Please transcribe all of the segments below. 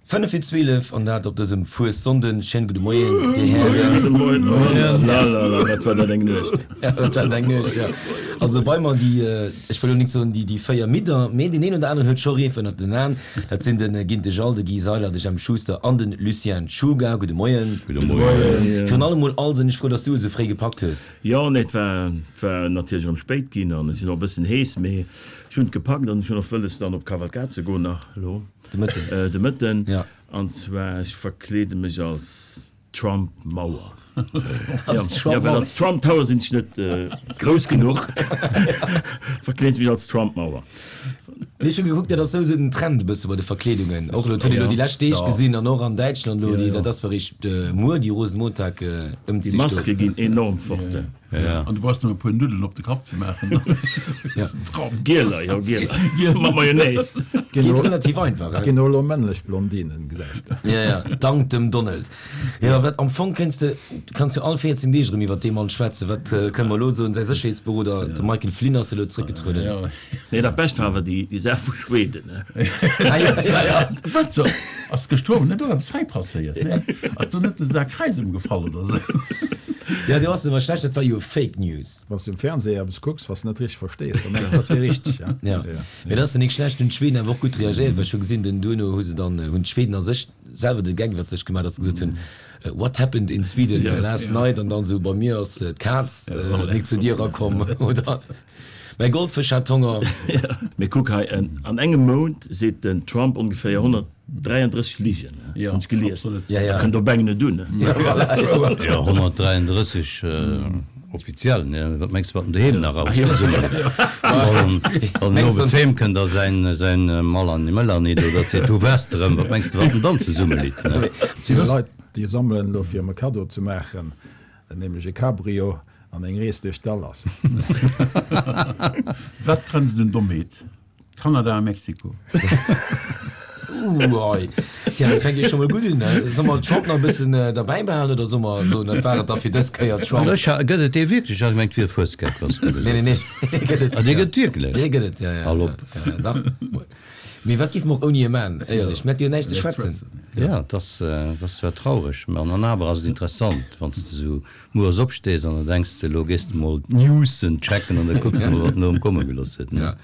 5 vir 12 an dat op dësem Fuessonnden. Schéin gudde Moien, Dir Hären. Gudde Moien. Oh la la la, wat war dat eng Nuecht. Ja, dat war eng Nuecht, ja. Also bei mer déi, ech wëll elo nik soen déi, déi 4 Midder, mee deen een oder aneren huet scho Reef ënnert den Aen. Dat sinn de Ginte Jal, de Guy Seiler, de Jemp Schuster an de Lucien Czuga. Gudde Moien. Gudde Moien. Virun allem mol Alsen, ech frou, dass du et esou fréi gepackt hues. Jo, nee, et war, et war natierlech erëm spéit ginn an ech sinn och e bëssen hees, mee ech hunn et gepackt an ech hunn och wëlles dann op d'Kavalkad ze goen nach elo. De Mëtten. De Mëtten. Ja. An zwar, ech verkleede mech als Trump Mauer. Als Trump Ja, well als Trump Tower sinn ech net grouss genuch. Verkleede ech mech als Trump Mauer. Mee ech hu gekuckt, dat ass souwisou den Trend e bësse bei de Verkleedungen. Och elo, dat huet een elo déi lescht Deeg gesinn an och an Däitschland elo, déi, dat ass eréischt muer, déi Rosenmontag Ëmzich do. Déi Maske ginn enorm fort. An du brauchs nëmme e puer Nuddelen op de Kapp ze maachen. Gieler, jo, gieler. Mat Mayonnaise. Geet relativ einfach, he? Ginn och elo männlech Blondinen, gesäis de. Ja, ja, dank dem Donald. Jo, wat am Fong kéints de, du kanns jo all 14 Deeg erëm iwwer dee Mann schwätzen. Wat kënne mer elo soen? Säi Sécherheetsberoder, de Michael Flynn, ass elo zréckgetrueden. Nee, dat Bescht war awer déi Saach vu Schweden, he? Ah jo, ja, ja. Wat so? Ass gëschter Owend net och eppes hei passéiert, ne? Ass do net de Sak Räis ëmgefall oder sou? Ja, do ass et awer schlecht, dat war jo Fake News. Wann s du um Fernseh eppes kucks, wat s de net richteg verstees, dann mengs de, dat wier richteg, ja. Ja, mee dat ass jo nik schlecht. Hunn d'Schweden awer och gutt reagéiert, well ech hu gesinn, den duerno hu se dann, hunn d'Schweden a sech selwer de Geck iwwer sech gemaach, datt se gesot hunn, What happened in Sweden last night? An dann esou, Bei mir ass d'Kaz nik zur Dier erakomm oder mäi Goldfësch hat Honger. Mee kuck hei, an engem Mount seet den Trump ongeféier 133 Ligen, hunn ech gelies. Da kënnt op eng net un. Jo, 133 offiziell, ne? Wat mengs de, wat en doheem nach alles zesummen Wann en owes heem kënnt a säin Malani Melanie do, dat seet, Wou waars de rëm? Wat mengs de, wat en dann zesummelitt, ne? Et si Leit, déi sammelen elo fir em e Kaddo ze maachen, nämlech e Cabrio an eng Rees duerch Dallas. Wat grenzt un Dommheet? Kanada a Mexiko. Uuhei. Tja, dat fänkt jo scho mol gutt un. Solle mer Trump nach e bëssen derbäi behalen oder solle mer soen, dat war et da fir dës Kéier, Trump? Ech ha, gëtt et dee wierklech? Ech hat gemengt, et wier e Fuesgeck, was du gesot Nee, nee, nee, dee gëtt et. Ah, dee gëtt et wierklech? Dee gëtt et, ja, ja. Hal op. Ja, ja, dach. Mee wat géife mer och ouni e man, éierlech? Mir hätte jo näischt ze schwätzen. Ja, et ass, et ass zwar traureg, mä an awer ass et interessant, wann s de esou Mueres opstees an da denks de, elo gees de mol d'Newsen checken an da kucks de mol, wat en erëm komme gelooss huet, ne?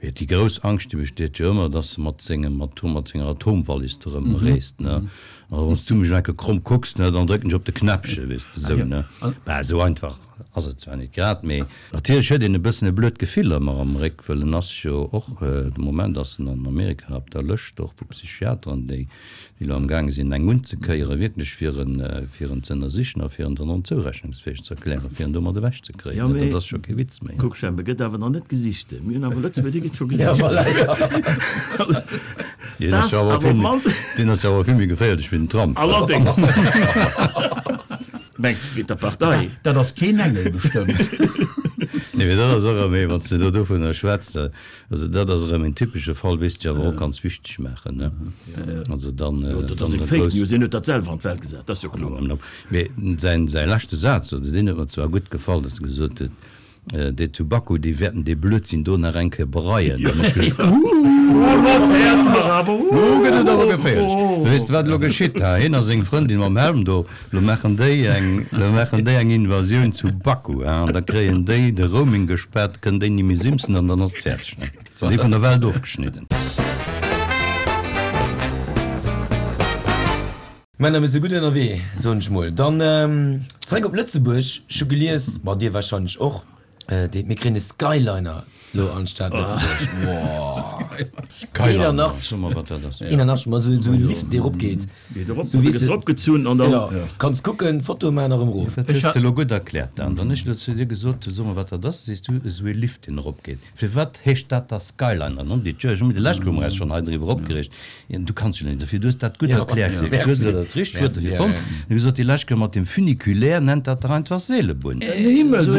Mee déi grouss Angscht, déi besteet jo ëmmer, dass e mat sengem Atom, mat senger Atomwallis do erëm reest, ne? A wann s du mech enke kromm kucks, ne, dann drécken ech op de Knäppche, weess de, esou, ne? Bah, esou einfach ass et zwar net grad, mee natierlech huet een e bëssen e blöd Gefill ëmmer am Réck, wëll en ass jo och, de Moment ass en an Amerika op der Lëscht och vu Psychiateren, déi déi elo amgaange sinn eng unzekéieren, wierklech fir en, fir en ze ënnersichen a fir en dann onzourechnungsfäeg ze erklären, fir en domat ewechzekréien. Jo, mee Dat ass scho kee Witz méi. Kuck, Jemp, e gëtt awer nach net gesicht. Mir hunn awer Lëtzebuerg, dee gëtt scho gesicht. Deen ass jo awer vill méi, deen ass jo awer vill méi geféierlech wéi den Trump. Allerdéngs. Mengs de, wéi der Partei? Dat ass keen Engel bestëmmt. Nee, mee dat ass och erëm ee, wann s de elo dovunner schwätz, Also dat ass erëm en typesche Fall, weess de awer och ganz wichteg maachen, ne? Also dann, Jo, dat ass dann eng Fake grouss. News, hien huet dat selwer an d'Welt gesat, dat ass jo kloer. Mee säin, säi leschte Saz, also deen huet mer zwar gutt gefall, datt e gesot huet, Déi zu Baku, déi wäerten dee Blödsinn do nach eng Kéier bereien. Dann hunn ech geduecht, Uuh, lo fäert mer awer, Lo gëtt et awer geféierlech. Weess de wat elo geschitt? Ha, hien a seng Frëndin mam Helm do, Lo maachen déi eng, lo maachen déi eng Invasioun zu Baku, hein, an da kréien déi de Roaming gespaart, kënnen déi ni méi simsen an dann ass et fäerdeg, ne? Sinn déi vun der Welt ofgeschnidden. Männer, mir si gutt ënnerwee, soen ech mol. Dann zeréck op Lëtzebuerg. Ech hu gelies, ma dir warscheinlech och, Dee, mir kréien e Skyliner lo an d'Stad Lëtzebuerg. Skyliner, so mer wat dat ass. 81, ma sou e Lift dee rop geet. Sou wéi se eropgezunn an dann. Jo, kanns kucken, Fotoe maachen a rëm erof. Dat hues de lo gutt erkläert Dan. Wann ech lo zu dir gesot hu, so mer wat dat ass, sees du, esou e Lift deen eropgeet. Firwat heescht dat da Skyliner? Non Dieu, ech hu mech de leschte Keer hu mer eis schonn hei driwwer opgereegt. Du kanns jo net dofir, du hues dat gutt erkläert kritt, du hues elo dat richtegt Wuert dofir fonnt. Du hues gesot, déi lescht Kéier mat dem Funiculaire nennt dat dach einfach Seelebunn. Esou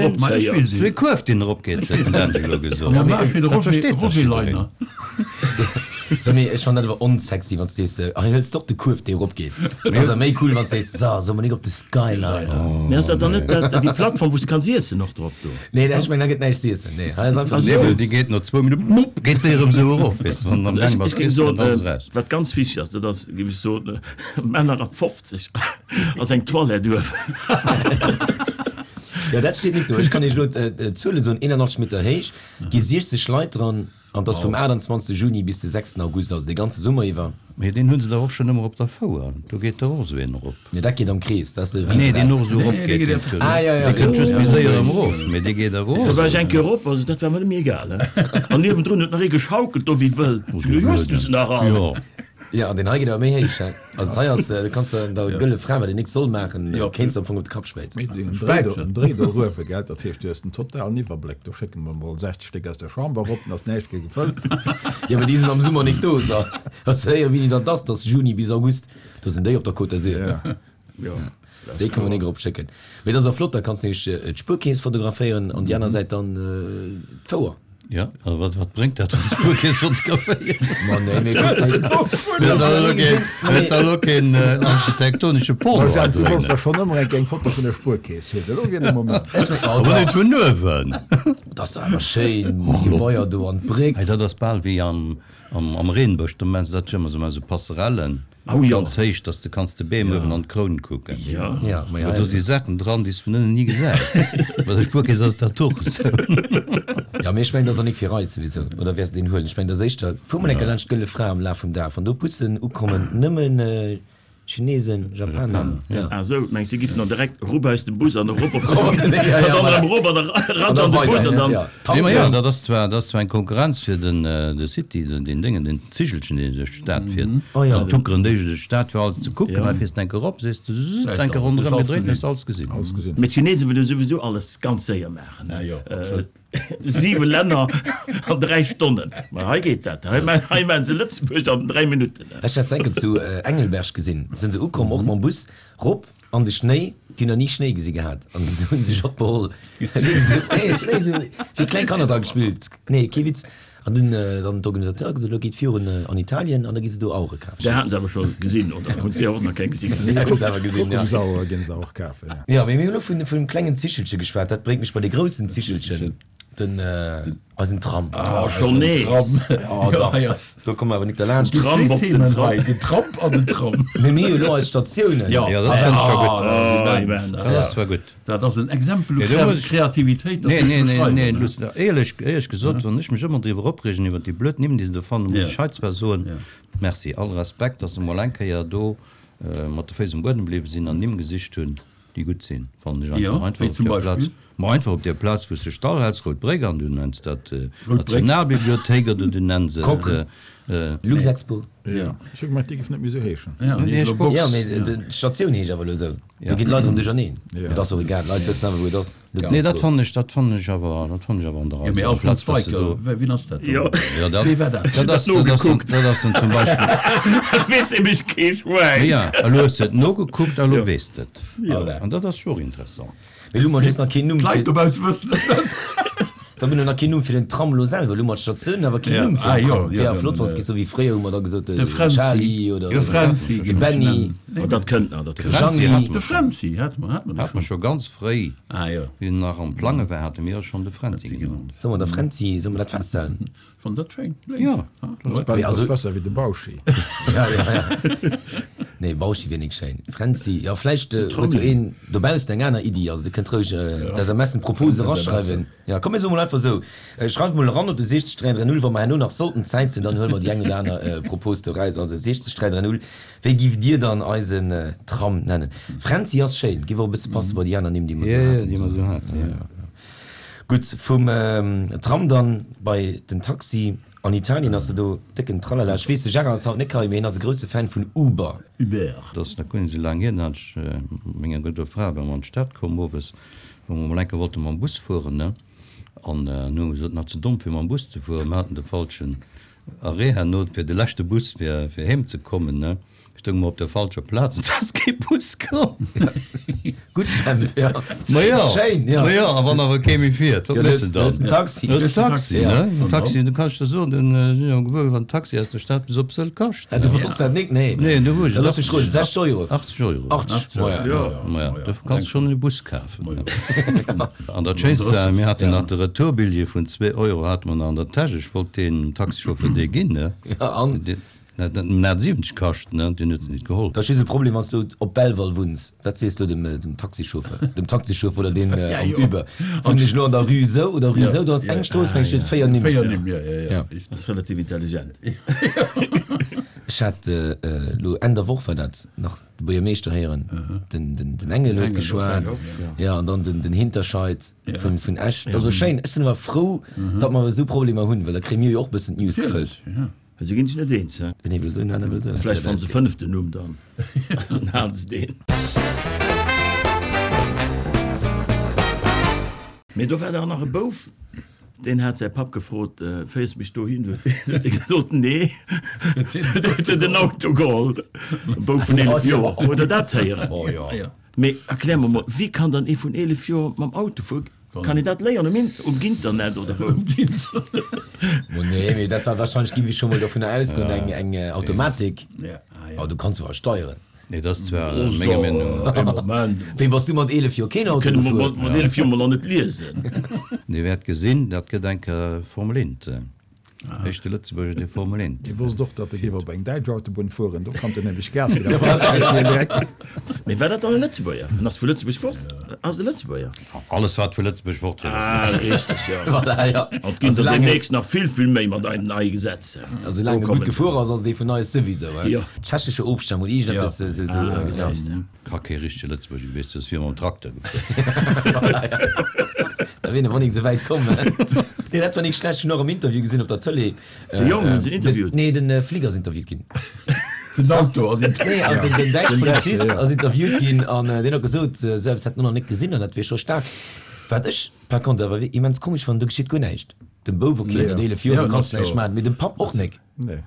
ee Kuerf, deen eropgeet, huet den Angelo gesot. Dat versteet dach jiddereen. So, mee ech fannen dat awer onsexy, wann s de sees, hei hëls de och de Kuerf, dee eropgeet. Dat ass awer méi cool, wann s de sees, so, solle mer nik op de Skyliner? Mee ass dat dann net dat, déi Plattform, wou s de kanns iessen och drop do? Nee, ech mengen, da gëtt näischt z'iessen. Nee, hei ass einfach Nee, well déi geet no zwou Minutten, bupp, geet déi erëm esou erof, weess de, wann de am Gaang bass Ech géing z'iessen, soen, dann ass eraus. wat ganz wichteg ass, dat ass, géif ech soen, Männer ab 50 ass eng Toilette uewen. Jo, dat steet nik do. Ech kann iech elo d'Zuelen soen, 81 Meter héich, gi 60 Leit dran. An 't ass vum 28 Juni bis de 6 August, also dee ganze Summer iwwer. Mee deen hu se dach och schonn ëmmer op der Fouer, do geet dach och esou een erop. Nee, dat geet am Krees, dat ass de Nee, deen och esou erop geet, deen Tour, Ah, jo, jo. dee kënnt just méi séier erëm erof, mee dee geet erof. Do war ech eng Kéier erop, also dat war mer net méi egal, he. An niewendrun huet nach ee geschaukelt do wéi wëll. Ech hunn geduecht, hues du se nach all? Jo. Jo, an deen hei geet awer méi héich, he. Also hei ass, do kanns de der gëlle Fra, wat een nik soll maachen, kéints de am Fong op de Kapp späizen. Mee den Dréi do eruewe, gell, dat heescht, du hues den totalen Iwwerbléck. Do schécke mer mol 60 Stéck aus der Chamber erop, dann ass näischt méi gefëllt. Jo, mee déi sinn am Summer nik do, so. Hast du héieren, wéini dat ass? Dat ass Juni bis August, do sinn déi op der Côte d'Azur. Jo. Déi kann mer nik erop schécken. Mee dat ass och flott, da kanns de nämlech d'Spuerkeess fotograféieren an déi aner Säit dann d'Fouer. Jo, a wat, wat bréngt dat, wann s de Spuerkeess fotograféiers? Ma nee, mee kuck, Hues da elo keen, hues da elo keen architektonesche Porno Ma Jacques, du hei wolls dréinen? der schonn ëmmer eng eng Foto vun der Spuerkeess hunn. Elo wier de Moment. Ech meng, oh Awer dach. net vun uewen! Dat ass dach awer schéin, déi Gebaier do an d'Bréck. Hei, dat ass bal wéi am, am, am Reenbësch, do maachen se dat jo ëmmer esou, maachen se Passerellen. Oh jo. Ganz héich, dass de kanns de Beem uewen an d'Kroun kucken. Jo. Ja, ma Awer do si Saachen dran, déi s vun ënnen ni gesäis. Bei der Spuerkeess ass dat och esou. Ja, mee ech mengen, dat ass och nik fir eis souwisou. Oder wäers de deen huelen? Ech mengen, dat ass éischter, fuer mol eng Kéier laanscht d'Gëlle Fra am Laf vum Dag, wann do Bussen ukommen, nëmmen Chinesen, Japaner, ja. Ah sou, mengs de giffen dann direkt erup aus dem Bus an erop op Erop op den, ja, ja, an dann voilà. erëm erop an da An ratsch da an de Bus weider, an dann. ja. Nee, ma jo, Tanken. dat ass zwar, dat ass zwar eng Konkurrenz fir den, de City, den, deen Déngen, den Zigelchen, deen duerch d'Stad fiert. Oh jo. Dann tuckeren déi duerch d'Stad fir alles ze kucken. Ja. Hei fiers de enke erop, sees de zzzzt, Vläicht enke alles, ronderëm hues alles gedréit, gesinn. hues de alles gesinn. Alles gesinn. Mee d'Chinesen wëlle souwisou alles ganz séier maachen, Ja, ne? jo, absolut. Siwe Länner an 3 Stonnen. Ma hei geet dat. Hei hei maachen se Lëtzebuerg an 3 Minutten. Ech hat se enke zu Engelberg gesinn. Sinn se ukomm, och mam Bus, rop an de Schnéi. Déi hunn nach ni Schnéi gesi gehat an se hunn sech och beholl. Nee, Schnéi esou wéi kleng Kanner dra gespillt. Nee, kee Witz. An dunn dann d'Organisateure gesot, elo geet virun an Italien an da gi se do Auere kafen. Där haten se awer scho gesinn, oder hunn si och nach keng gesi gehat? Déi hunn se awer gesinn, ja. Kuckucksauere ginn se och kafen, ja. Jo, mee mir hunn elo vun vum klengen Zichelche geschwat. Dat bréngt mech bei de groussen Zichelchen, den eisen Tram. Oh, schonn nees? Jo, dach, do komme mer awer nik derlaanscht. Déi Tramp zwee op den Themen Tram. hei, den Tramp an den Tram. Mee mir hu jo elo eis Statiounen. Jo, Jo, dat fënn ech scho gutt. dat ass Oh, immens. immens. Dat ass zwar gutt. Dat ass en Exempel u Nee, do muss ech- Kreativitéit, dat Nee, muss nee, nee, beschreiwen, nee, ne? Luss, éierlech, éierlech gesot, wann ech mech ëmmer driwwer opreegen, iwwer déi blöd Nimm, déi se do fannen, muss Ja. ech hei zwar soen, Ja. Merci, all Respekt, dass se mol eng Kéier do mat de Féiss um Buedem bliwwe sinn an Nimm gesicht hunn, déi gutt sinn, fannen ech einfach. Ja, Einfach wéi op zum där Plaz, Beispill? ma einfach op där Plaz, wou s de Stall häls, Rout Bréck, an du nenns dat Rout Bréck. Nationalbibliothéik oder du nenns et. Coque. Luxexpo. Ja, ech hu gemengt, déi géif net méi esou heeschen. Ja, Nee, déi ech elo box. Box. Ja, mee d'Statioun heescht awer elo esou. Do ginn d'Leit erëm duercherneen. Mee et ass och egal, d'Leit wëssen awer, wou et ass. Nee, dat fannen ech, dat fannen ech awer, dat fannen ech awer an der Rei. Jo, mee Amplaz Alfons dass se Weicker, do. wien ass dat Jo. dann? Jo, dat, Wee war dat? dat ass, dat ass, dat ass dann zum Beispill. Dat weess nämlech kee Schwäin. Ja, elo hues de et nogekuckt a elo weess de et. Voilà. An dat ass jo och interessant. Mee elo hu mer just nach keen Numm fir. D'Leit dobausse wëssen et net. Mir hunn nach keen Numm fir den Tram elo selwer. Elo hu mer d'Statioun, awer keen Ja, Numm fir ah den jo, Tram. jo, Wär dann, flott, wann et géif sou wéi fréier hu mer da gesot, De de Fränzi. Charly oder De Fränzi de géif ech Benny. nennen. Oh, dat kënnt nach, dat De kënnt nach. Fränzi Jeanny. hate De mer schonn. Fränzi hate mer, hate mer Hate mer scho. scho ganz fréi. Ah jo. Wéi en nach am Plange war, hate mir schonn de Fränzi Fränzi genannt. genannt. Solle mer der Fränzi, solle mer dat festhalen? Fannt dat schéin. Jo. Dat ass besser wéi de Bauschi. Ja, ja, ja. Nee, Bauschi wier nik schéin. Fränzi, jo, vläicht huet jo een dobaussen eng aner Iddi. Also, Dir kënnt roueg d'SMSen, d'Proposen eraschreiwen. Jo, komm mir soe mol einfach esou, schreift mol eran op de 60 330, wa mer herno nach sollten Zäit hunn, dann huele mer déi eng oder aner Propos do eraus. Also 60 330, wéi giff Dir dann eisen Tram nennen? Fränzi ass schéin, giff och e bësse passe bei déi aner Nimm, déi mer esou haten. Jo, déi mer esou haten, jo. Gutt, vum Tram dann bei den Taxi. An Italien ass se do décken Tralala. Ech weess, de Gérard ass haut net hei, mee hien ass e grousse Fan vun Uber. Uber. Dat ass nach guer net esou laang hier, da hat ech mat menger gudder Fra, ware mer an d'Stad komm owes, wou mer mol eng Kéier wollte mam Bus fueren, ne, an hu mer gesot, nach ze domm fir mam Bus ze fueren, mer haten de falschen Arrêt herno fir de leschte Bus fir heem ze kommen, ne. Stounge mer op der falscher Plaz, et ass kee Bus komm. Gutt, Jemp, jo. Ma jo, Schéin, jo. ma jo, a wann awer kee méi fiert, wat méchs de dann? Hues den Taxi. Hues den Taxi, ne? Den Taxi, du kanns der soen, den sinn jo gewuer, wat en Taxi aus der Stad bis op Sëll kascht. Du wosst dat nik, nee. Nee, du wou ech. Da looss mech roden, 60 Euro. 80 Euro. 80, ma ja. Ma ja, dofir kanns de schonn e Bus kafen. An dat Schéinst war, mir haten nach de Retourbilljee vun zwee Euro hate mer nach an der Täsch. Ech wollt deem Taxichauffeur dee ginn, ne? Ja, an? Dat huet en 70 kascht, ne? Deen huet en nit geholl. Dat ass just e Problem, wann s du op Belval wunns. Wat sees du dem dem Taxichauffeur? Dem Taxichauffeur oder deem am Uber? Wunnen ech elo an der Rue esou oder Rue esou? Do ass eng Strooss, meng ech, déi huet 4 Nimm. 4 Nimm, jo, jo, jo. Dat ass relativ intelligent. Ech hat elo Enn der Woch war dat, nach de Buergermeeschter héieren, den den Engel huet geschwat, jo, an dann den den Hinterscheid vun vun Esch. Dat ass esou schéin. Ech sinn awer frou, datt mer esou Problemer hunn, well da kréie mir jo och e bëssen d'News gefëllt. Well se ginn sech net eens, he? Den ee wëll esou, den aner wëll esou. Vläicht fanne se e fënneften Numm dann, dann halen se deen. Mee do war dach nach e Bouf, deen hat säi Papp gefrot, Féiers mech dohin? Huet dee gesot, Nee. Huet en den Auto geholl. E Bouf vun 11 Joer. Hutt Der dat héieren? Mee erklär mer mol, wéi kann dann ee vun 11 Joer mam Auto fueren? Kann een dat léieren um um Internet oder wou? Mo nee, mee dat war wahrscheinlech, gi mir scho mol dovunner ausgoen, eng eng Automatik. Oh, du kanns awer steieren. Nee, dat ass zwar menger Meenung no. Ee Moment. Wéi bass du mat 11 Joer keen Auto gefuer? Mat 11 Joer mol nach net liesen. Dir wäert gesinn, dat gëtt eng Kéier Formel 1. Éischte Lëtzebuerger, dee Formel 1. Hie wosst och, datt e géif op eng däitsch Autobunn fueren, do konnt en nämlech Gas ginn a Frankräich wier direkt. Mee war dat dann e Lëtzebuerger? En ass vu Lëtzebuerg fort? Ass et e Lëtzebuerger? Alles wat vu Lëtzebuerg fort fuert ass Ah, Lëtzebuerger. richteg, jo. Voilà, jo. An et ginn der deemnächst nach vill, vill méi mat eisen neie Gesetzer. A soulaang e gutt gefuer ass, ass et ee vun eis souwisou, he? Jo. Tschechesche Ofstammung oder iergendeppes esou, esou, Ah, gesäis de. Ka kee richtege Lëtzebuerger gewiescht sinn, ass wéi mam Trakter gefuer. Da wier awer nik esou wäit komm. Nee, dat war nik schlecht. Ech hunn och am Interview gesinn op der Tëlee. De Jong hunn se interviewt? Nee, den Flic ass interviewt ginn. Den Auto ass interviewt Nee, an den, den däitsche Polizist ass interviewt ginn an deen huet gesot, esou eppes hätt en och nach nik gesinn an dat wier scho staark. Wat ech par contre awer immens komesch fannen, do geschitt guer näischt. Dem Bouf, ok, mat 11 Joer, do kanns de näischt maachen, mee dem Papp och nik. Nee.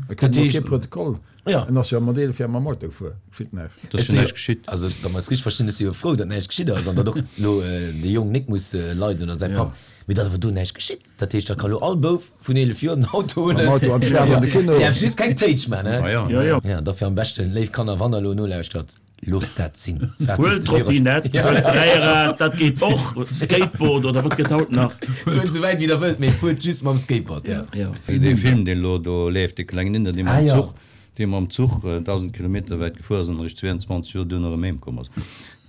E kritt och kee Protokoll. Ja. En ass jo mat 11 Joer mam Auto gefuer. Geschitt näischt. Et ass jo näischt geschitt. Also, wa mer es richteg verstinn, ech si jo frou, datt näischt geschitt ass an datt och elo de Jong nik muss leiden oder säi Papp, mee datt awer do näischt geschitt. Dat heescht, da ka lo all Bouf vun 11 Joer den Auto huelen. Mam Auto an d'Stad an de Kino. Däerf just keng Téitsch man, he? Ma jo. Jo, jo. Ja, dofir am beschten, léif Kanner, wann der elo nolauschtert, Loosst dat sinn. Waart Huel bis de Führersch- Trottinett, huel Dräirad, dat geet och, Skateboard oder wat gëtt haut nach? Fuert esou wäit wéi der wëllt, mee fuert just mam Skateboard, ja. Ja. Wéi dee Film, deen elo do leeft, dee klengen Inder, dee Ah, mam ja. Zuch, dee mam Zuch 1.000 Kilometer wäit gefuer ass an eréischt 22 Joer duerno erëm heem komm ass,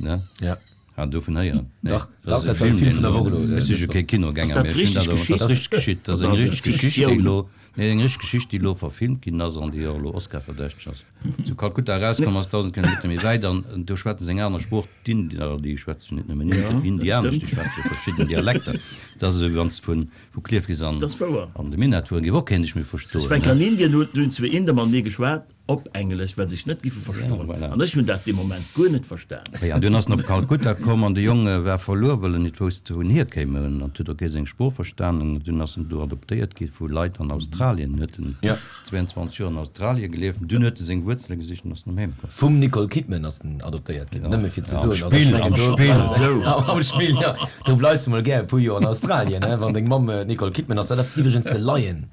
ne? Ja. Hat dovun héieren? Nee, Dach, dat ass dach, e dat war de Film, Film deen vun der Woch elo, elo, ech si dës jo Woch. kee Kinogänger, Ass dat mee ech hunn richtig dat awer, dat ass geschitt? richtig geschitt, dat ass Oder eng ass et richtig Geschicht, déi Fiktioun? elo, nee, eng richtig Geschicht, déi elo verfilmt ginn ass an déi och elo Oscar-verdächteg ass. Zu Kalkutta erauskomm ass, 1.000 Kilometer méi wäit, an do schwätze se eng aner Sprooch, d'Inder, déi schwätze jo net nëmmen Indianesch, déi schwätze jo verschidden Dialekter. Dat ass esou, wéi wann s de vun, vu Klierf bis an, Dat ass wouer. an de Minett fueren, géif och keen dech méi verstoen, Ech war ne? an Indien, hunn hunn zwee Inder mat mir geschwat, op Englesch, well se sech net giffe verstoen. Voilà. An ech hunn dat dee Moment guer net verstan. Jo, an dunn ass en op Kalkutta komm, an de Jong war verluer, well en nit wousst, wou en hierkéim. En huet och kee seng Sprooch verstanen. Dunn ass en do adoptéiert gi vu Leit an Australien. Huet en 22 Joer an Australie gelieft. Dunn huet e seng Wuerzele gesicht an ass erëm heem komm. Vum Nicole Kidman ass en adoptéiert ginn, nëmme fir ze Am soen, also ech Spill, mengen, am do Spill. bleifs de, am Spill, jo, do bleifs de mol gär e puer Joer an Australien, he, wann deng Mamm d'Nicole Kidman ass. Dat ass iwwregens de Lion.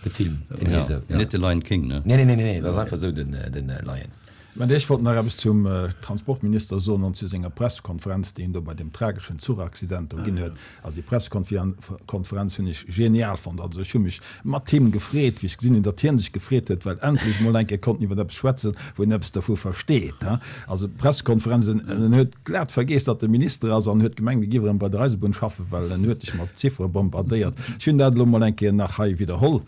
De Film, deen heescht esou, ja. Net de Lion King, ne? Nee, nee, nee, nee, dat ass einfach esou den, den Lion. Mä ech wollt nach eppes zum Transportminister soen an zu senger Pressekonferenz, déi en do bei deem trageschen Zuchaccident do ginn huet. Also déi Pressekonferenz hunn ech genial fonnt. Also ech hu mech mat him gefreet, wéi ech gesinn hunn, datt hie sech gefreet huet, well endlech emol eng Kéier konnt en iwwer eppes schwätzen, wou en eppes dervu versteet. Also d'Pressekonferenz, en huet glat vergeess, datt e Minister ass an huet gemengt, e géif erëm bei der Eisebunn schaffen, well en huet dech mat Ziffere bombardéiert. Ech hunn dat elo mol eng Kéier nach hei widderholl.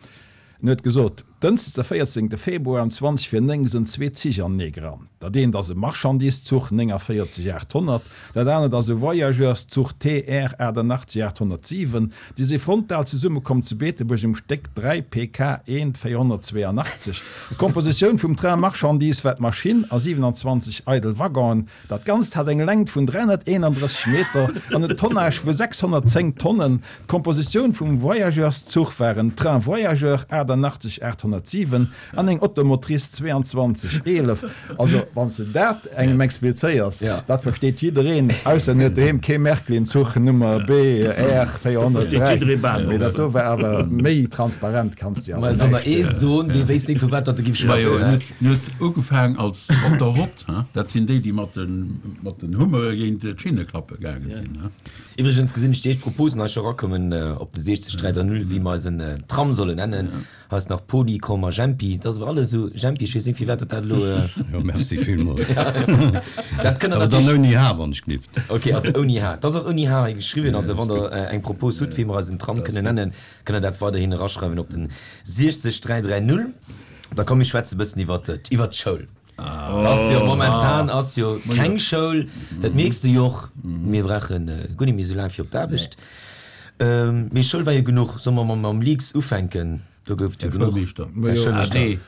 En huet gesot, Dënschdes de 14 Februar um 20 vir 9 sënn zwee Zich anenee gerannt. Dat eent ass e Marchandiszuch 49 800, dat anert ass e Voyageurszuch TR 88 807. Déi si frontal zesummekomm zu Beetebuerg um Stéck 3 PK 1 482. D'Kompositioun vum Train marchandise war d'Maschinn a 27 eidel Waggonen. Dat Ganzt hat eng Längt vun 331 Meter an en Tonnage vu 610 Tonnen. D'Kompositioun vum Voyageurszuch war en Train voyageur 88 807. 807 an eng Automotrice 2211. Also wann s de dat engem explizéiers, dat versteet jiddereen, ausser en huet doheem kee Märklin-Zuch Nummer BR 403. Mee dat do war awer méi transparent, kanns de jo awer näischt. Ee soen, dee wéisst nik vu wat datt e giff schwätzen. En huet ugefaang als op der Rott, dat sinn déi, déi mat den Hummere géint d'Schinne klappe gaange sinn. Iwwregens gesinn ech déi éischt Proposen hei scho erakommen op de 60 330, wéi mer eisen Tram sollen nennen. Hei ass nach Poly, Komm a Jempi. Dat ass awer alles esou Jempi, ech weess net firwat dat dat elo. Jo, merci villmools. Dat kënnt der Awer dann natierlech. ouni H, wann ech gelift. Ok, also ouni H. Et ass och ouni H hei geschriwwen. Also wann der eng Propos hutt, wéi mer eisen Tram kënnen nennen, kënnt der dat weiderhin eraschreiwen op den 60 330. Da komm mir schwätze bëssen iwwert iwwert d'Schoul. Et ass jo momentan ass jo keng Schoul, dat mierks de jo och. Mir brauche guer net méi esou laang fir op d'Aarbecht. Mee Schoul war jo genuch. Solle mer mam Leaks ufänken? Do gouf et jo genuch. Här Schoulmeeschter.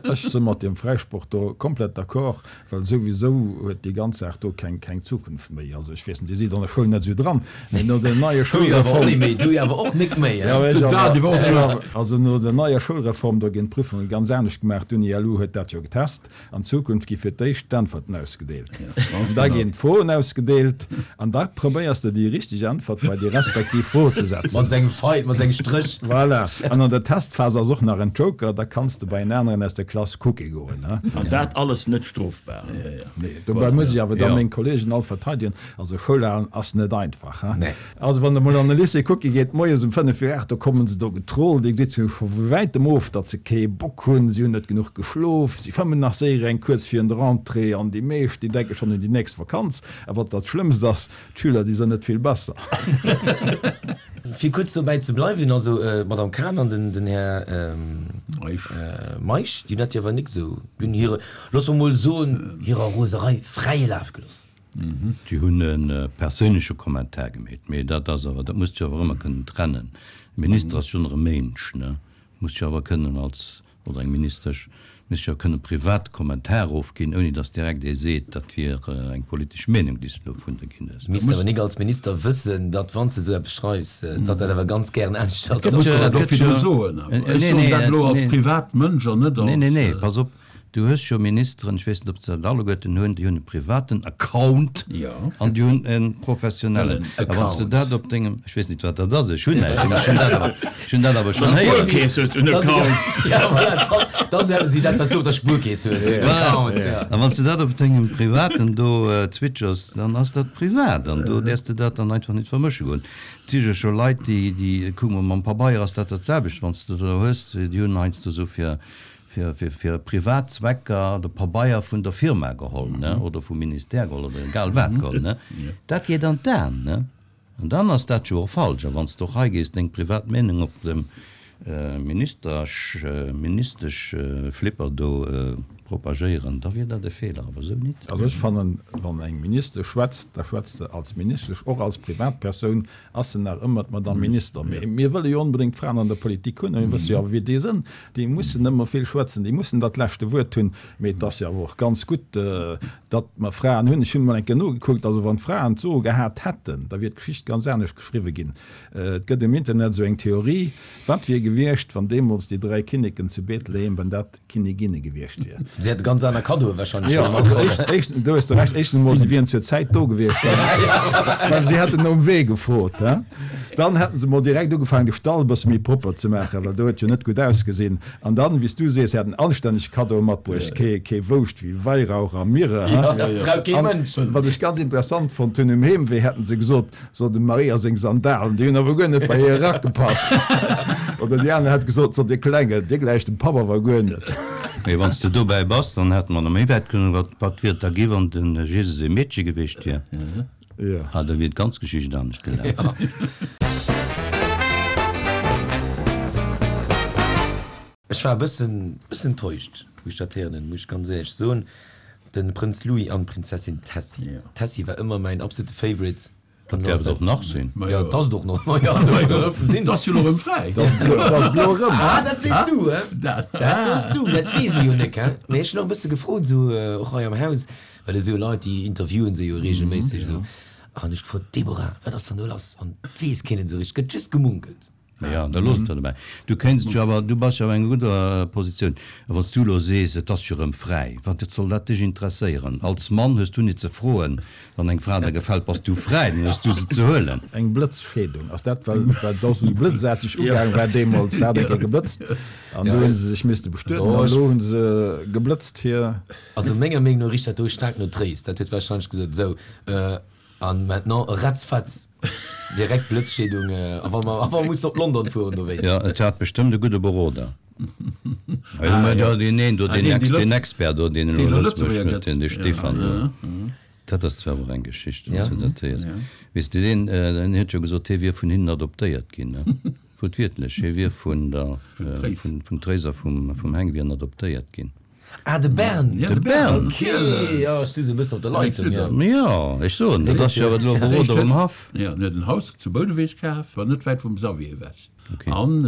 Ech si mat deem Fräisproch do komplett d'accord, well souwisou huet déi ganz Saach do keng Zukunft méi. Also ech weess net, Dir sidd an der Schoul net esou dran, mee no der neier Schoulreform. Du jo awer och nik méi. Also no der neier Schoulreform, do ginn d'Prüfunge ganz anescht gemaach. D'Uni-LU huet dat jo getest. An Zukunft gi fir d'éischt d'Äntwerten ausgedeelt, da ginn d'Froen ausgedeelt an da probéiers de déi richteg Äntwert bei déi respektiv Fro ze setzen. Mat sengem Feil, mat sengem Stréch. Voilà. An an der Testphas ass och nach en Joker, da kanns de bei en aneren aus der Klass kucke goen. An dat alles net strofbar. Nee, dobäi muss ech awer da meng Kollegen all verteidegen. Also Schoul halen ass net einfach. Also wann der mol an de Lycée kucke geet, moies um 5 vir 8, do kommen se do getrollt, Dir gesitt scho vu wäitem of, datt se kee Bock hunn, si hunn net genuch geschlof, si fëmmen nach séier eng kuerz virun der Rentrée an déi meescht, déi denke schonn un déi nächst Vakanz. A wat dat Schlëmmst ass, d'Schüler, déi sënn net vill besser. Fir kuerz dobäi ze bleiwen, also d'Madame Cahen an den Här Meisch, déi hunn dat jo awer nik esou, déi hunn hire, loosse mer mol soen, hirer Roserei fräie Laf gelooss. Déi hunn e perséinleche Kommentar gemeet, mee dat ass awer, dat muss de jo awer ëmmer kënnen trennen. E Minister ass jo nach e Ménsch, ne? Muss jo awer kënnen als, oder eng Ministesch, muss jo kënnen privat Kommentar ofginn, ouni datt direkt ee seet, dat wier eng politesch Meenung, déi s de do vun der ginn hues. Misst awer nik als Minister wëssen, datt wann s de esou eppes schreifs, datt dat awer ganz gären anescht ass. Dat muss de dat och virdru soen awer. Ech soen dat elo als privat Mënsch an net als. Nee, nee, nee, pass op, Du hues jo Ministeren, ech weess net, ob se dat alleguerten hunn, déi hunn e privaten Account an déi hunn e professionellen. A wann s de dat op dengem, ech weess net, wat dat ass, ech hunn näischt, mee ech hunn dat awer, ech hunn dat awer schonn héieren. Spuerkeess hues du en Account. Ja, voilà, dat ass jo dat, wat s du op der Spuerkeess hues, en Account, ja. A wann s de dat op dengem privaten do zwitschers, dann ass dat privat an do däerfs de dat dann einfach net vermësche goen. Et si jo scho Leit, déi, déi, kuck mol, mam Pabeier ass dat dat selwecht, wann s de do hues, déi hunn heiansdo esou fir, fir privat Zwecker de Pabeier vun der Firma geholl, ne, oder vum Ministère geholl oder egal wat geholl, ne, dat geet an d'Aen, ne, an dann ass dat jo och falsch. A wann s de och hei gees deng privat Meenung op dem Ministersch, Ministeschflipper do propagéieren, da wier dat e Feeler, awer esou nit. Also ech fannen, wann eng Ministesch schwätzt, da schwätzt se als Ministesch, och als Privatpersoun, Ass se nach ëmmer d'Madame Minister? Mee mir wëlle jo onbedéngt Fraen an der Politik hunn a mir wësse jo awer, wéi déi sënn. Déi mussen ëmmer vill schwätzen, déi mussen dat leschte Wuert hunn. Mee et ass jo awer och ganz gutt, datt mer Fraen hunn. Ech hunn emol eng Kéier nogekuckt, also wann d'Fraen d'Soe gehat hätten, da wier d'Geschicht ganz anescht geschriwwe ginn. Et gëtt um Internet esou eng Theorie, Wat wier gewiescht, wann deemools déi 3 Kinneken zu Bethlehem, wann dat Kinniginne gewiescht wier. Si hätte ganz aner Kaddoe wahrscheinlech Jo, also éischt, éischt, do hues de Recht, éischtens emol, si wieren zur Zäit do gewiescht, well se, well si hätten nom Wee gefrot, he. Dann hätten se emol direkt ugefaangen, de Stall e bësse méi propper ze maachen, well do huet jo net gutt ausgesinn. An dann, wéi s du sees, hätten anstänneg Kaddoe matbruecht, kee, kee Wouscht wéi Weihrauch a Myrrhe, he. Brauch kee Mënsch. An wat ech ganz interessant fonnt hunn, um Heemwee hätten se gesot, So dem Maria seng Sandalen, déi hunn awer guer net bei hire Rack gepasst. Oder déi aner hätt gesot, So dir Klengen, dir gläicht dem Papp awer guer net. Mee wann s de dobäi bass, dann hätte mer nach méi wäit kënnen. Wat, wat wier et da gi, wann de Jesus ee Meedche gewiescht wier? Jo. Ah, da wier d'ganz Geschicht anescht gelaf. Ech war e bëssen, bëssen enttäuscht, wou ech dat héieren hunn, muss ech ganz éierlech soen. De Prënz Louis an d'Prinzessin Tessy. D'Tessy war ëmmer mäin absolute Favorite. Dat däerf et och nach sinn. Jo, et ass et och nach. Ma jo, sinn. Et ass jo elo erëm fräi. Et ass et elo erëm. Ah, dat sees du, he? Dat soos du, dat weess ee jo nek, he? Mee ech hunn och e bësse gefrot, esou och hei am Haus, well esou Leit, déi interviewen se jo reegelméisseg esou. An ech gefrot, Deborah, wat ass dann do lass? An et weess keen et esou richteg, et gëtt just gemunkelt. Jo, da looss et der dobäi. Du kéints jo awer, du bass jo awer an enger gudder Positioun, a wann s du elo sees, et ass jo erëm fräi, wat soll dat dech interesséieren? Als Mann hues du nit ze froen, wann eng Fra der gefält, bass du fräi, dann hues du se ze huelen. Eng Blëtzscheedung, ass dat, well dat ass esou blëtzaarteg ugaang war deemools, hat eng Kéier geblëtzt an do hu se sech misste bestueden an elo hu se geblëtzt fir. Also menger Meenung no richt dat do staark no Tréis. Dat huet warscheinlech gesot, esou, an maintenant ratzfatz direkt Blëtzscheedung, a wa mer, a wa mer mussen op London fueren dowéinst. Jo, et hat bestëmmt e gudde Beroder. Ah jo, jo, deen een do, deen Ex, deen Expert do, deen elo Lëtzebuerg huet, deen, dee Stefan do. Dat ass zwar och eng Geschicht, wann s du dat héiers. Weess de, deen, deen huet jo gesot, hie wier vun hinnen adoptéiert ginn, ne? Wuertwiertlech, hie wier vun der, vun, vum Tréis a vum, vum Heng wier en adoptéiert ginn. Ah, de Bern! De Bern! Ok, jo, ech si sou e bëssen op der Leitung, jo. Jo, ech soen, dat ass jo awer elo Beroder um Haff. Jo, en huet en Haus zu Bouneweg kaf, war net wäit vum Xavier ewech. An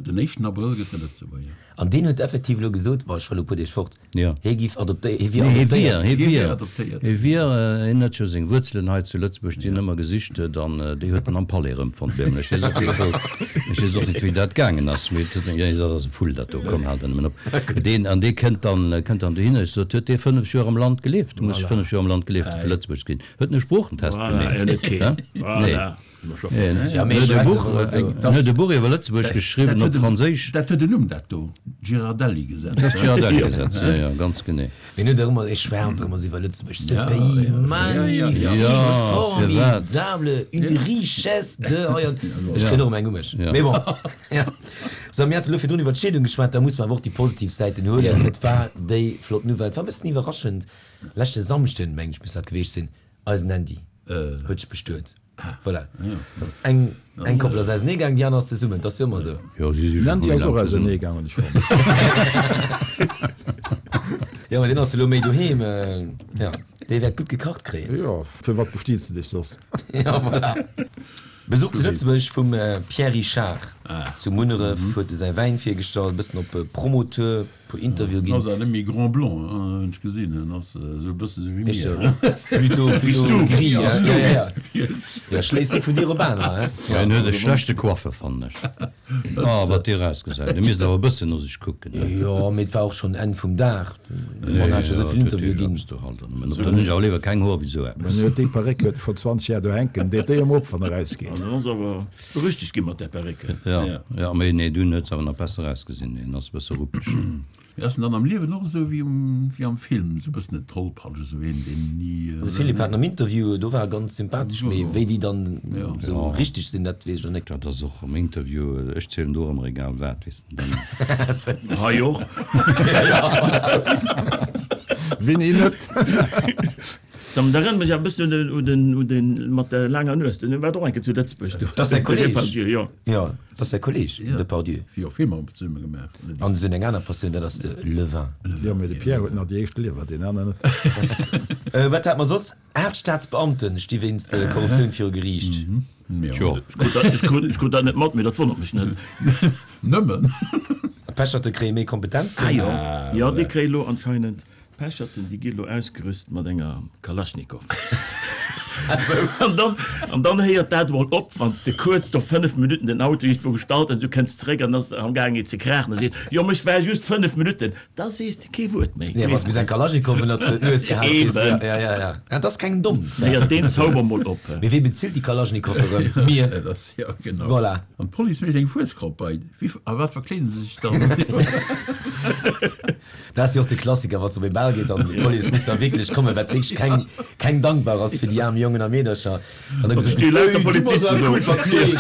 den éischten Abrëll gëtt e Lëtzebuerger. An deen huet effektiv elo gesot, bon, ech war elo e puer Deeg fort, hie giff adoptéiert, hie wier adoptéiert. Hie wier adoptéiert. Hie wier, hien huet jo seng Wuerzelen hei zu Lëtzebuerg, déi en ëmmer gesicht huet, an déi huet en am Palais erëmfonnt nämlech. Ech weess och net, wou, ech weess och net, wéi dat gaangen ass, mee et huet, jo, dat ass e Vull, dat do, komm, hal der nëmmen op. Deen, an dee kënnt dann, kënnt dann dohinner. Ech sot, huet dee 5 Joer am Land gelieft? Muss 5 Joer am Land gelieft hu fir Lëtzebuerg ze ginn. Huet en e Sproochentest gemeet? Nee. En huet e Buch iwwer Lëtzebuerg geschriwwen op Franséisch. Dat huet en Numm, dat do, Girardelli-Gesetz. Dat ass d'Girardelli-Gesetz, jo, jo, ganz genee. Mee en huet och ëmmer, e schwärmt och ëmmer esou iwwer Lëtzebuerg, ce pays magnifique, formidable, une richesse de hei an. Ech kréien och ëmmer eng u mech. Mee bon, jo. Sou, mir hate lo virdrun iwwer d'Scheedung geschwat, da muss mer awer och déi positiv Säiten huelen. Et war déi flott Nouvelle, et war e bëssen iwwerraschend, leschte Samschden, mengen ech, muss dat geweecht sinn, eisen Andy huet sech bestuet. Voilà. Ass eng, eng Koppel ass ausenee gaang, déi aner ass zesummen. Dat ass jo ëmmer esou. Jo, si si scho méi laang zesummen. Gaang, hunn ech fonnt. Jo, mä deen ass elo méi doheem. Jo, dee wäert gutt gekacht kréien. Jo, fir wat bestiets de dech soss? Jo, voilà. Besuch zu Lëtzebuerg vum Pierre Richard. Zu Munneref huet e säi Wäin virgestallt, e bëssen op Promotour. Puer Interview ginn. Ass awer net méi grand blanc, hunn ech gesinn. En ass esou e bësse sou wéi mir. Plutôt, plutôt gris, hein. Ja, ja, ja. Ja, schléisst net vun dir op anerer, hein. Ja, en huet e schlechte Coiffer, fannen ech. Oh, wat dee erausgesäit. E misst awer e bëssen no sech kucken, hein. Jo, mee et war och schonn Enn vum Dag. De Mann hat scho sou vill Interviewe ginn. Dann hunn ech awer léiwer keng Hoer wéi sou eppes. En huet déi Perréck huet e scho 20 Jar do hänken. Deet déi emol op, wann e erausgeet. An ass awer Berüchtegt ginn mat där Perrécke. Jo, jo, mee nee, dunn huet se awer nach besser ausgesinn. Hien ass e bësse ruppeg. Mee ass en dann am Liewen och esou wéi um, wéi am Film, esou e bëssen en Tollpatsch, esou een, deen ni. De Philippe hat en am Interview, do war e ganz sympathesch, mee wéi déi dann esou richteg sinn, dat weess ech och net. Dat ass och am Interview, ech zielen do och ëmmer egal wat, weess de, dann. Hei och. Wéini net? Dat erënnert mech awer e bëssen un den, un den mat der laanger Nues, deen war och eng Kéier zu Lëtzebuerg do. Dat ass säi Kolleg. Depardieu, jo. Jo, dat ass säi Kolleg, Depardieu. Wéi och Filmer zesumme gemaach. An se hunn eng aner Passioun, dat ass de le vin. Jo, mee de Pierre huet nach déi éischt Liewer, deen aner net. Wat hate mer soss? 8 Staatsbeamte sti wéinst Korruptioun viru Geriicht. Tjo. Ech krut dat net mat, mee dat wonnert mech net. Nëmmen. D'Pecherte kréie méi Kompetenzen. Ah jo, jo, déi kréie lo anscheinend D'Pecherten, déi gi lo ausgerüst mat enger Kalaschnikow. An dann, an dann héiert dat emol op, wann s de kuerz no 5 Minutten den Auto iergendwou gestallt hues, du kënns zréck an ass am gaang et ze kraachen, da seet, jo, mä ech war just 5 Minutten, da sees de kee Wuert méi. Nee, wann s de bis eng Kalaschnikow ënnert d'Nues gehat kriss, ja, ja, ja, ja. Dat ass kengem domm. Héiert deen Zauber mol op. Mee wee bezilt déi Kalaschnikow erëm? Mir. Jo, genau. Voilà. An d'Police mécht eng Fueskropp bei. Wéi, a wat verkleede se sech dann? Dat ass jo och de Klassiker, wann s de op ee Bal gees an d'Police muss da wierklech kommen, wat wierklech keng, keng dankbar ass fir déi aarm Jongen a Meedercher. An da gesot gëtt, Ey, du bass awer cool verkleet,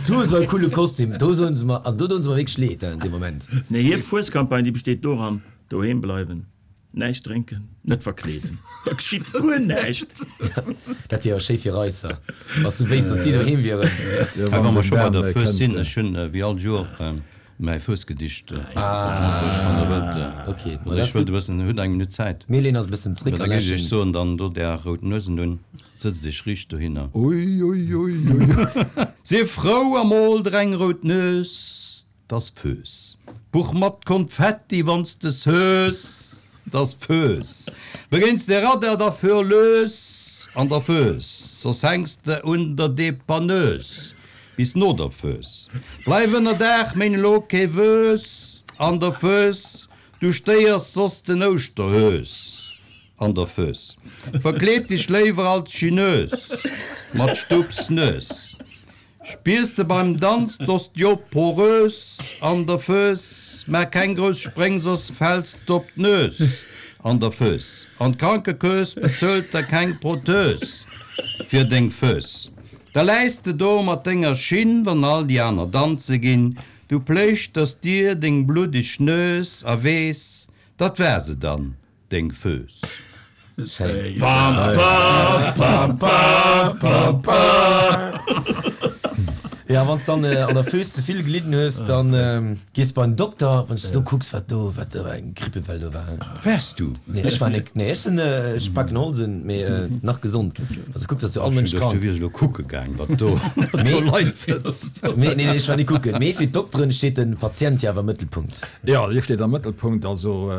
du hues awer e coole Kostüm. Do soen se mer, an do doen se mer wierklech leed an deem Moment. Nee, hir Fuescampagne, déi besteet doran, doheem bleiwen, näischt drénken, net verkleeden, da geschitt guer näischt. Dat wier awer schéi fir Reisser, wa s du wéisst, datt si doheem wieren. Hei, wa mer scho bei der Fues sinn, ech hunn wéi all Joer Mäi Fuesgedicht matbruecht, wann der wëllt. Oder ech wëllt e bëssen, hutt eng Minutt Zäit? Mir leeën eis e bëssen zréck a läschen. Da géif ech soen, dann dot är rout Nuesen un, sëtzt iech riicht dohinner. Ui, ui, ui, ui. Sief frou a mol der eng rout Nues, 't ass Föös. Buch mat Konfetti, wann s de s'hues, 't ass Föös. Begéins de Radar, da fuer lues an der Föös, soss hänks de un der Depanneuse. Bis no der Fööss. Bleif ënner Daach, méin elo kee Wööss an der Fööss, du stéiers soss den Ouschterhöös an der Fööss. Verkleed dech léiwer als Chinös mat Stupsnös. Spiers de beim Danz d'Osteoporös an der Fööss, maach keng grouss Spréng, soss fäls d'op d'Nös an der Fööss. An d'Krankekööss bezuelt der keng Prothös fir deng Fööss. Da läis de do mat denger Schinn, wann all déi aner danze ginn, du pléischters dir deng bluddeg Nues a weess, dat war se dann, deng Fööss. Schéin. Jo, wann s dann an der Fööss ze vill gelidden hues, dann gees bei den Dokter. Wann s du do kucks, wat do, wat do eng Grippewell do war. Waars du? Nee, ech war nik. Nee, ech sinn, ech paken Holsen, mee nach gesond. Wann s du kucks, ass jo all Mënsch krank. Du wiers elo kucke gaang, wat do, wat do Leit sëtzen. Nee, nee, ech war nik kucken. Mee fir d'Dokteren steet de Patient jo awer am Mëttelpunkt. Jo, dee steet am Mëttelpunkt. Also,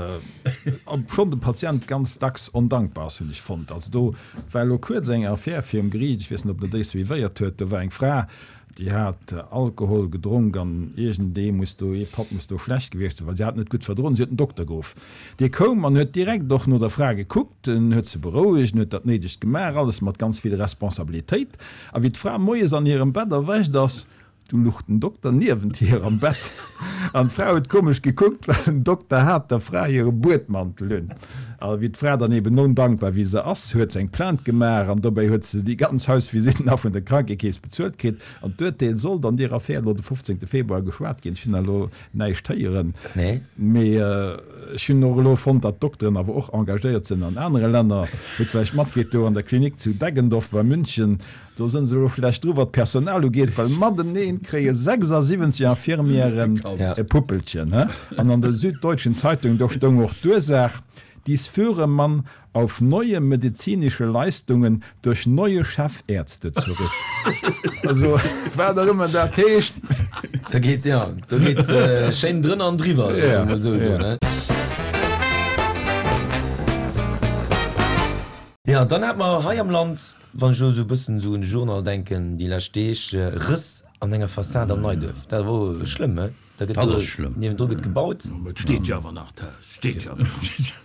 obschonn de Patient ganz dacks ondankbar ass, hunn ech fonnt. Also do war elo kuerz eng Affär virum Geriicht, ech weess net, ob Der déi suivéiert huet, do war eng Fra, Déi hat Alkohol gedronk an iergendee muss do, ee Patt muss do schlecht gewiescht sinn, well si hat net gutt verdroen. Si huet den Dokter geruff. Dee koum an huet direkt och no der Fra gekuckt, en huet se berouegt, en huet dat Néidegt gemaach, alles mat ganz vill Responsabilitéit. A wéi d'Fra moies an hirem Bett erwächt ass, du luch den Dokter niewent hir am Bett an d'Fra huet komesch gekuckt, well den Dokter hat der Fra hire Buedmantel un. A wéi d'Fra dann eben ondankbar wéi se ass, huet se eng Plainte gemaach an dobäi huet se déi ganz Hausvisite nach vun der Krankekeess bezuelt kritt. An d'Urteel sollt an deer Affär elo de 15 Februar geschwat ginn. Ech hunn elo näischt héieren, mee ech hunn och elo fonnt, datt d'Dokteren awer och engagéiert sinn an anere Länner. Hutt vläicht matkritt, do an der Klinik zu Deggendorf bei München, do sinn se elo schlecht dru wat d'Personal ugeet, well mateneen kréie 76 Infirmièren e Puppelchen. An an der Süddeutschen Zeitung, do stoung och d'Ursaach, Dies führe man auf neue medizinische Leistungen durch neue Chefärzte zurück. Also, wat och ëmmer dat heescht. Da geet, jo, do geet schéin drënner an driwwer, soe mer mol esou, ne? Jo, dann hate mer hei am Land, wann ech elo esou e bëssen esou un de Journal denken, déi lescht Deeg, Rëss an enger Fassad am Neiduerf. Dat wor schlëmm, he? Da gëtt Dat ass schlëmm. Niewendru gëtt gebaut. Ma et steet jo awer nach, d'Haus steet jo awer nach.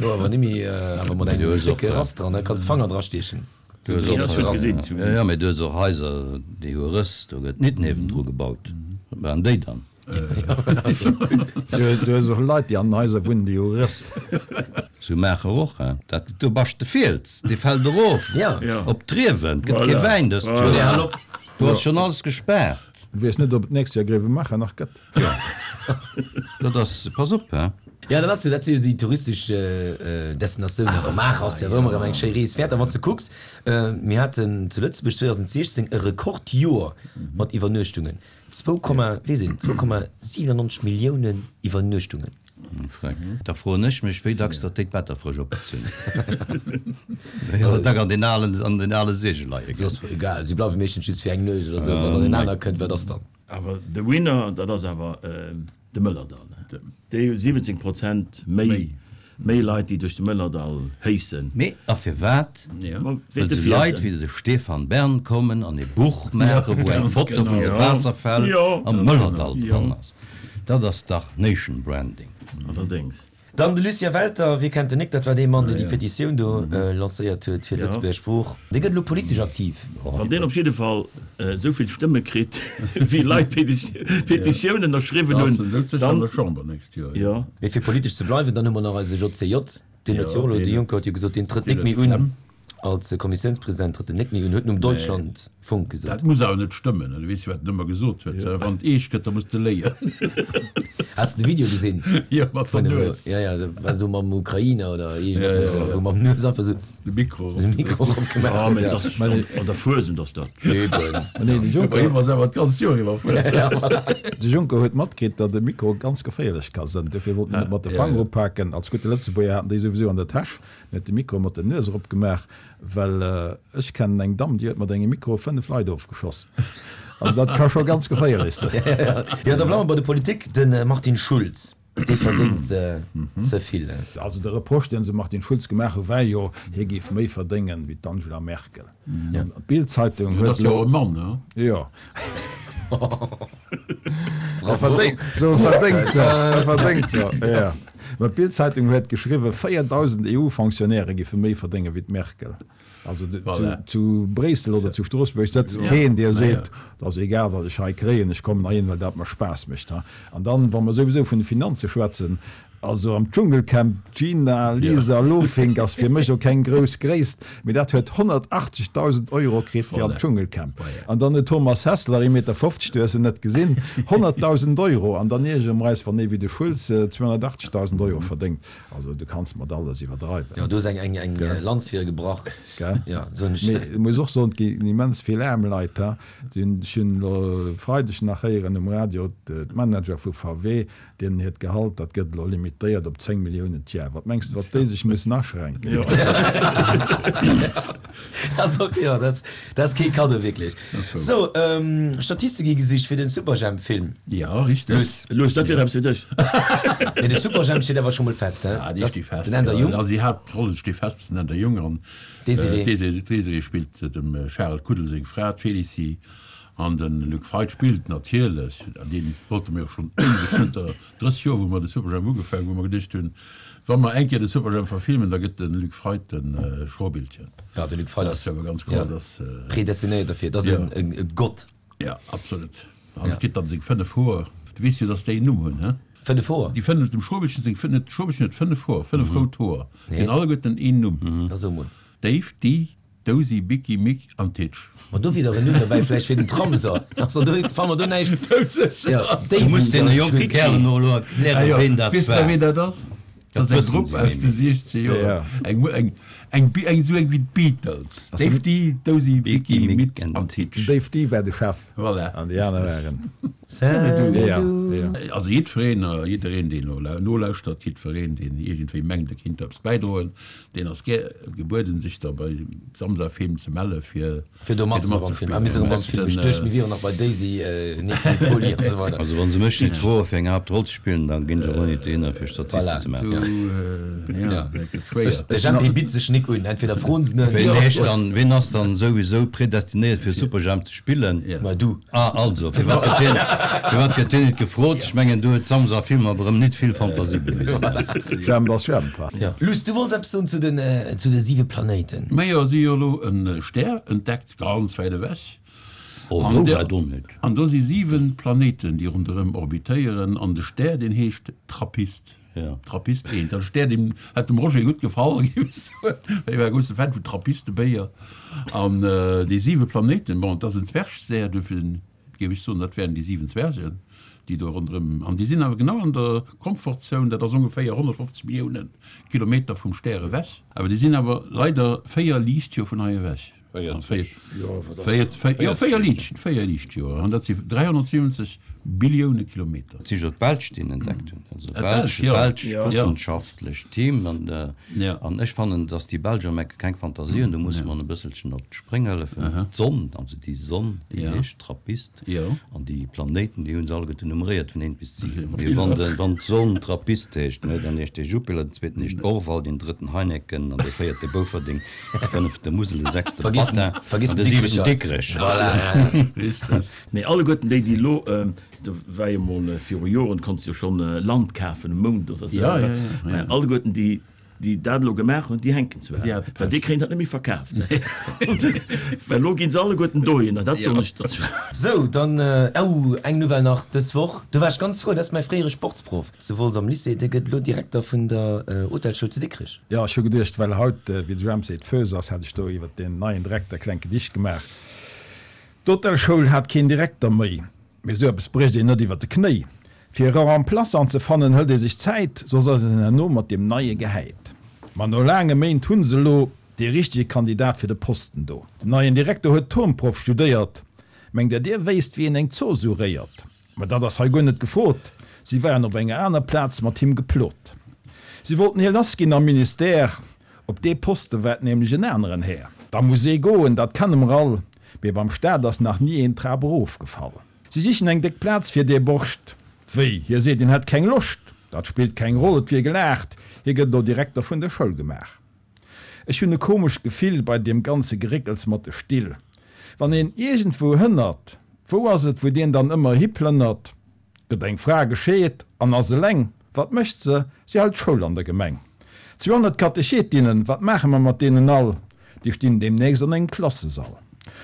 Jo, awer nimmi, awer mat engem décke Rass dran, da kanns de Fanger drastiechen. Du hues och, jo, jo, mee du hues och Haiser, déi hu Rëss, do gëtt nit niewendru gebaut. Wat maachen déi dann? Du hues och Leit, déi an den Haiser wunnen, déi hu Rëss. Sou Maacher och, he? Dat, do bascht de Fiels, dee fält erof op d'Riewen, gëtt kee Wäin dëst Joer. Do ass schonn alles gespaart. Weess net, ob et d'nächst Joer Gréiwemaacher nach gëtt. Jo, dat ass, pass op, he? Jo, dat ass jo, dat si jo déi touristesch Destinatiounen. Awer Maacher ass jo ëmmer erëm eng schéi Rees wäert. A wann s de kucks, mir haten zu Lëtzebuerg 2016 e Rekordjoer mat Iwwernuechtungen, zwou Komma, weess een, 2,97 Milliounen Iwwernuechtungen. Da froen ech mech, wéi dacks datt déi d'Better frësch opgezunn hunn. Wéi dack an den alen, an den ale Segel leie ginn. Ass egal, si bleiwe meeschtens just fir eng Nuecht oder esou. Wann dann een aner kënnt, wat ass dann? Awer de Winner, dat ass awer de Mëllerdall. Déi hu 17 Prozent méi méi Leit, déi duerch de Mëllerdall héissen. Mee a firwat? Well sou Leit wéi de Stefan Bern kommen an e Buch maachen, wou eng Foto vun de Waasserfäll am Mëllerdall dran ass. Dat ass dach Nation Branding. Allerdéngs. Dann de Lucien Welter, wie kennt en nik, dat war dee Mann, deen déi Petitioun do lancéiert huet fir d'Lëtzebuerger Sprooch. Dee gëtt elo politesch aktiv. Wann deen op jidde Fall esou vill Stëmme kritt, wéi Leit Petitioun ënnerschriwwen hunn, dann. Jo. Mee fir politesch ze bleiwen, dann hu mer nach eise JCJ, deen huet jo och elo, de Juncker huet jo gesot, deen trëtt nik méi un. Als Kommissiounspresident trëtt en net méi un, huet en um Deutschlandfunk gesot. Dat muss awer net stëmmen. Du weess jo, wat en ëmmer gesot huet, Wann et eescht gëtt, da muss de léien. Has de de Video gesinn? Jo, mat der Nues. Jo, jo, dat war esou mam Ukrainer oder iergendeppes, wou mam Nues einfach esou de Mikro de Mikro eropgemaach huet. Jo, mee dat ass an der Fuesent ass dat. Eben. Nee, de Juncker. Bei him ass awer d'ganzt Joer iwwer Fuesent. De Juncker huet matkritt, datt e Mikro ganz geféierlech ka sënn. Dofir wollt en net mat de Fanger upaken. Als gudde Lëtzebuerger hat en déi souwisou an der Täsch. En huet de Mikro mat der Nues erop gemaach, well ech kennen eng Damm, déi huet mat engem Mikro 5 Leit ofgeschoss. Also dat ka scho ganz geféierlech sinn. Jo, da bleiwe mer bei der Politik. De Martin Schulz, dee verdéngt ze vill. Also de Reproche, deen se dem Martin Schulz gemaach hu war jo, hie géif méi verdéngen wéi d'Angela Merkel. An d'Bild-Zeitung huet elo. Dat ass jo och e Mann, ne? Jo. E verdéngt se, e verdéngt se, e verdéngt se, jo. Mä d'Bild-Zeitung huet geschriwwen, 4.000 EU-Fonctionnairë géife méi verdénge wéi d'Merkel. Also zu Bréissel oder zu Stroossbuerg sëtzt keen, dee seet, Et ass egal, wat ech hei kréien, ech kommen heihin, well dat mer Spaass mécht. An dann, wa mer souwisou vun de Finanze schwätzen, also am Dschungelcamp, d'Gina Lisa Lohfink ass fir mech och keng grouss Gréisst, mee dat huet 180.000 Euro kritt fir am Dschungelcamp. An dann den Thomas Hässler, 1,50 Meter, du hues en net gesinn, 100.000 Euro. An dann iergere mer eis, wann ee wéi de Schulz 280.000 Euro verdéngt. Also du kanns mat alles iwwerdreiwen. Jo, du hues eng eng eng Lanz fir e gebrach. Gell? Jo, soen ech. Mee ech muss och soen, et ginn immens vill aarm Leit, ha. Ech hunn elo e Freideg nach héieren um Radio, d'Manager vu VW, deenen hiert Gehalt, dat gëtt elo limitéiert op 10 Milliounen d'Jar. Wat mengs de, wat déi sech mussen aschränken? Jo, dat ass kee Kaddo, wierklech. Sou, Statiste gi gesicht fir den Superjhemp-Film. Jo, richteg. Luss. Luss, dat wier eppes fir dech. Mee de Superjhemp steet awer scho mol fest, he? Ja, dee steet fest. Den Änder Jung. Also déi Haaptrollen sti fest, den Änder Jung an d'Désirée. D'Désirée spillt dem Charel Kuddel seng Fra, d'Félicie. An de Luc Feit spillt natierlech, an dee wollte mir och schonn éiweg, zënter 30 Joer, wou mer de Superjhemp ugefaangen hunn, wou mer geduecht hunn, Wa mer eng Kéier de Superjhemp verfilmen, da gëtt de Luc Feit de Schrobiltgen. Jo, de Luc Feit ass awer ganz kloer, dass predestinéiert derfir. Dat ass e Gott. Jo, absolut. An et kritt dann seng 5 Hoer. Du weess jo, dass déi en Numm hunn, he? 5 Hoer? Déi 5, dem Schrobiltgen seng 5, de Schrobiltgen huet 5 Hoer, 5 rout Hoer. Déi hunn alleguerten een Numm. Da so mol. Dave, Dee, Dozy, Bicky, Mick an Titch. Ma do wier dach en Numm dobäi vläicht fir den Tram, so. Also do fanne mer do näischt. Jo, Du muss deene jonke Kärelen och elo erklären, ween dat Weess der, war. ween dat ass? Dat ass eng Grupp aus de 60 Joer. Eng, eng, eng, eng, esou eng wéi d'Beatles. Dave Dee, Dozy, Bicky, Mick an Titch. Den Dave Dee war de Chef. Voilà. An déi aner waren. Salut du. Also jiddwereen, jiddereen, deen elo nolauschtert, jiddwereen, deen iergendwéi mengt, e kinnt eppes bäidroen, Deen ass gär gebueden sech da bei Samsa Film ze melle fir Fir do matzeman am Film. Ah mir sinn erëm beim Film. Ech duecht mir wieren nach bei Daisy, Nicky, Poli an esou weider. Also wann se mech nit froe fir eng Haaptroll ze spillen, dann ginn ech och net dohinner fir Statisten ze maachen. De Jempi bitt sech nik un. Entweder froen se en. Ween heescht dann, ween ass dann souwisou predestinéiert fir Superjhemp ze spillen? Ma du. Ah also, firwat gëtt deen, firwat gëtt deen net gefrot? Ech mengen do huet Samsa Film awer erëm nit vill Fantasie bewisen. Jhemp ass Jhemp. Jo. Luss, du wollts eppes soen zu den, zu de siwe Planéiten. Majo, si hu jo elo e Stär entdeckt, ganz wäit ewech. Oh, esou wäit och net. An do si siwe Planéiten, déi ronderëm orbitéieren. An de Stär, deen heescht Trappist. Trappist 1. Dat Stär, deen hätt dem Roger gutt gefall, géif ech soen, well hie war e grousse Fan vun Trappistebéier. An déi siwe Planéiten, bon, et ass en Zwergstär, duerfir géif ech soen, dat wären déi 7 Zwergen, déi do ronderëm, an déi sinn awer genau an der Comfortzone, dat ass ongeféier 150 Millioune Kilometer vum Stär ewech, awer déi sinn awer leider 4 Liichtjoer vun hei ewech. 40. Jo, 4 Liicht, 4 Liichtjoer, an dat si 370 Billioune Kilometer. Et si jo d'Belsch, déi en entdeckt hunn, also belsch, belsch wëssenschaftlecht Team, an an ech fannen, datt déi Belsch am Ecke keng Fantasie hunn, do musse mer en e bësselchen op d'Spréng hëllefen. D'Sonn, also déi Sonn, déi heescht Trappist, an déi Planéiten, déi hu se alleguerten nummeréiert vun 1 bis 7. Mee wann de, wann d'Sonn Trappist heescht, ne, dann heescht dee Jupiler, den zweeten heescht Orval, deen drëtten Heineken, an dee véierte Bouferdeng, de fënnefte Musel, de sechste Patin an de siwenten Dikrech. Mee alleguerten déi, déi elo, do war jo mol viru Joren, konntst jo schonn Land kafen um Mound oder esou, mä alleguerten déi, déi dat elo gemaach hunn, déi hänken zwar, well déi kréien dat net méi verkaaft, well elo gi se alleguerten dohinner, dat soen ech der zwar. Sou, dann, oh, eng Nouvelle nach dës Woch, do war ech ganz frou, dat ass mäi fréiere Sportsproff zu Wolz am Lycée, dee gëtt elo Direkter vun der Hotelschoul zu Dikrech. Jo, ech hu geduecht, well haut, wéi de Jemp seet, Fös ass, hätt ech do iwwert deen neien Direkter e klengt Gedicht gemaach. D'Hotelschoul hat keen Direkter méi. Mee esou eppes brécht een net iwwer de Knéi. Fir e Remplaçant ze fannen, hëlt ee sech Zäit, soss ass een herno mat deem Neie gehäit. Ma no laange Méint hu se elo dee richtege Kandidat fir de Posten do. Den neien Direkter huet Turnproff studéiert. Mengt der, dir wéisst, wéi een eng Zooss uréiert? Ma dat ass hei guer net gefrot, si waren op enger aner Plaz mat him geplot. Si wollten hie lassginn am Ministère, Op dee Poste waart nämlech en aneren Här. Da muss ee goen, dat kenne mer all, mee beim Staat ass nach ni een d'Trap erofgefall. Si sichen eng déck Plaz fir dee Borscht. Wéi, hie seet, hien hätt keng Loscht? Dat spillt keng Roll, et wier gelaacht, hie gëtt elo Direkter vun der Schoul gemaach. Ech hunn e komescht Gefill bei deem ganze Geréckels mat de Still. Wann een iergendwou hënnert. Wou ass et, wou deen dann ëmmer hiplënnert? Gëtt eng Fra gescheet an ass eleng, wat mécht se? Si hält Schoul an der Gemeng. 200 Katechetinnen, wat maache mer mat deenen all? Déi stinn deemnächst an engem Klassesall.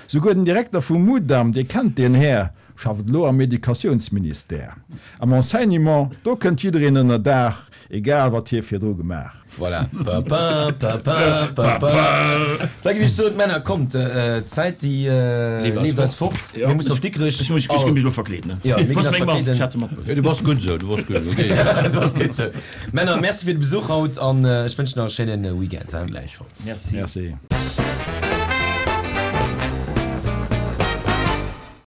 Souguer den Direkter vum Mudam, Dir kennt deen Här, schafft elo am Educatiounsministère. Am Enseignement, do kënnt jiddereen ënner Daach, egal wat hie virdru gemaach. Voilà. Pa pa pa pa pa pa. Da géif ech soen, Männer, kommt, d'Zäit déi leeft eis fort. Mir mussen op Dikrech. Ech muss mech elo verkleeden. Jo, mir ginn eis verkleeden. Du bass gutt esou, du bass gutt esou. Du bass gutt esou. Männer, merci fir de Besuch haut an ech wënschen nach e schéine Weekend. Gläichfalls. Merci. Merci.